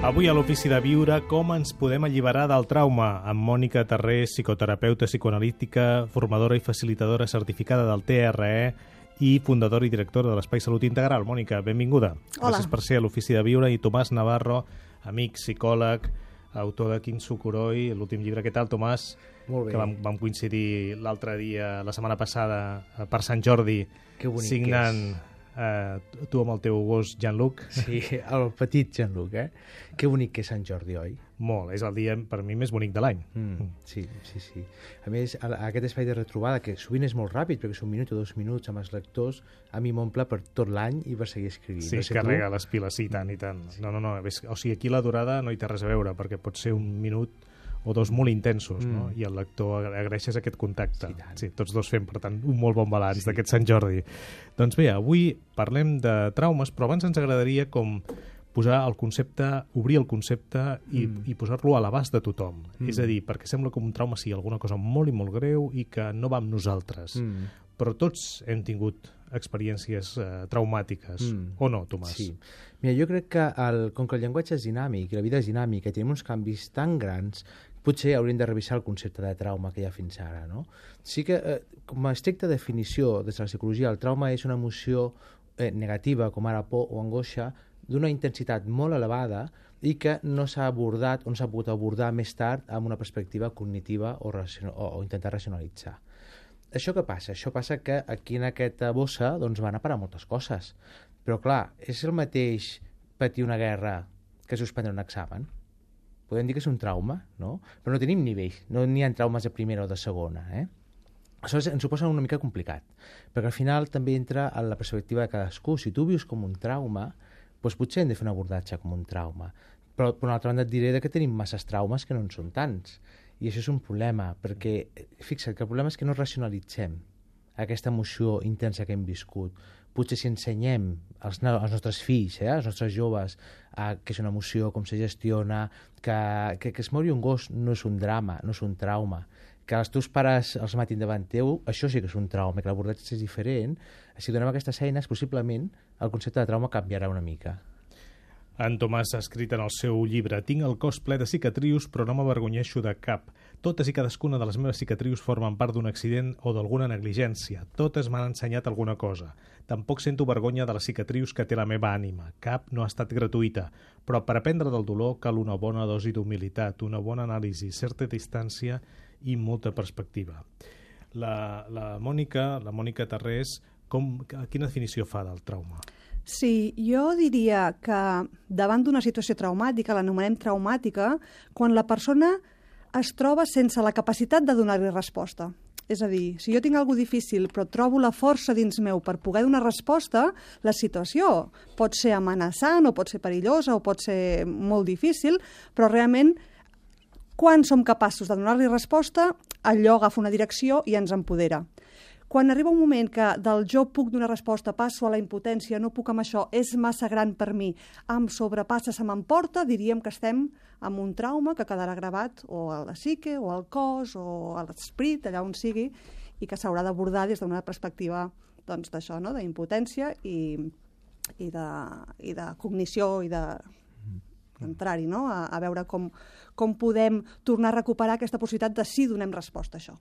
Avui a l'Ofici de Viure, com ens podem alliberar del trauma? Amb Mònica Tarrés, psicoterapeuta psicoanalítica, formadora i facilitadora certificada del TRE i fundadora i directora de l'Espai Salut Integral. Mònica, benvinguda. Hola. Gràcies per ser a l'Ofici de Viure. I Tomàs Navarro, amic, psicòleg, autor de Quin Sucuroi, l'últim llibre. Què tal, Tomàs? Molt bé. Que vam coincidir l'altre dia, la setmana passada, per Sant Jordi, Que bonic signant tu amb el teu gos Jean-Luc. Sí, el petit Jean-Luc, Que bonic que és Sant Jordi, oi? Molt, és el dia per mi més bonic de l'any. Sí. A més, aquest espai de retrobada, que sovint és molt ràpid, perquè és 1 minut o 2 minuts amb els lectors, a mi m'omple per tot l'any i per seguir escrivint. Sí, no sé carrega tu? les piles, sí, tant i tant. No, o sigui, aquí la durada no hi té res a veure, perquè pot ser 1 minut o 2 molt intensos, no? I el lector agraeixes aquest contacte. Sí, tots dos fem, per tant, un molt bon balanç d'aquest Sant Jordi. Doncs bé, avui parlem de traumes, però abans ens agradaria com posar el concepte, obrir el concepte i posar-lo a l'abast de tothom. És a dir, perquè sembla que un trauma sigui alguna cosa molt i molt greu i que no va amb nosaltres. Però tots hem tingut experiències traumàtiques, o no, Tomàs? Sí. Mira, jo crec que com que el llenguatge és dinàmic i la vida és dinàmica i tenim uns canvis tan grans, potser hauríem de revisar el concepte de trauma que hi ha fins ara, no? Sí que, com a estricta definició des de la psicologia, el trauma és una emoció negativa, com ara por o angoixa, d'una intensitat molt elevada i que no s'ha abordat o no s'ha pogut abordar més tard amb una perspectiva cognitiva o intentar racionalitzar. Això què passa? Això passa que aquí en aquesta bossa doncs, van a parar moltes coses. Però clar, és el mateix patir una guerra que suspendre un examen? Podem dir que és un trauma, no? Però no tenim nivells, no n'hi ha traumes de primera o de segona, Això ens ho posa una mica complicat, perquè al final també entra en la perspectiva de cadascú. Si tu vius com un trauma, doncs potser hem de fer un abordatge com un trauma. Però per una altra banda et diré que tenim masses traumes que no en són tants. I això és un problema, perquè fixa't que el problema és que no racionalitzem aquesta emoció intensa que hem viscut. Potser si ensenyem als nostres fills, als nostres joves, que és una emoció, com se gestiona, que es mori un gos no és un drama, no és un trauma, que els teus pares els matin davant teu, això sí que és un trauma, que l'abordatge és diferent. Si donem aquestes eines, possiblement el concepte de trauma canviarà una mica. En Tomàs ha escrit en el seu llibre: «Tinc el cos ple de cicatrius, però no m'avergonyeixo de cap. Totes i cadascuna de les meves cicatrius formen part d'un accident o d'alguna negligència. Totes m'han ensenyat alguna cosa. Tampoc sento vergonya de les cicatrius que té la meva ànima. Cap no ha estat gratuïta. Però per aprendre del dolor cal una bona dosi d'humilitat, una bona anàlisi, certa distància i molta perspectiva». La Mònica Tarrés, quina definició fa del trauma? Sí, jo diria que davant d'una situació traumàtica, l'anomenem traumàtica, quan la persona es troba sense la capacitat de donar-li resposta. És a dir, si jo tinc alguna cosa difícil però trobo la força dins meu per poder donar resposta, la situació pot ser amenaçant o pot ser perillosa o pot ser molt difícil, però realment quan som capaços de donar-li resposta, allò agafa una direcció i ens empodera. Quan arriba un moment que del jo puc donar resposta, passo a la impotència, no puc amb això, és massa gran per mi, em sobrepassa, se m'emporta, diríem que estem amb un trauma que quedarà gravat o a la psique, o al cos, o a l'esperit, allà on sigui, i que s'haurà d'abordar des d'una perspectiva d'això, no? D'impotència i de cognició i d'entrar-hi, no? A veure com podem tornar a recuperar aquesta possibilitat de sí donem resposta a això.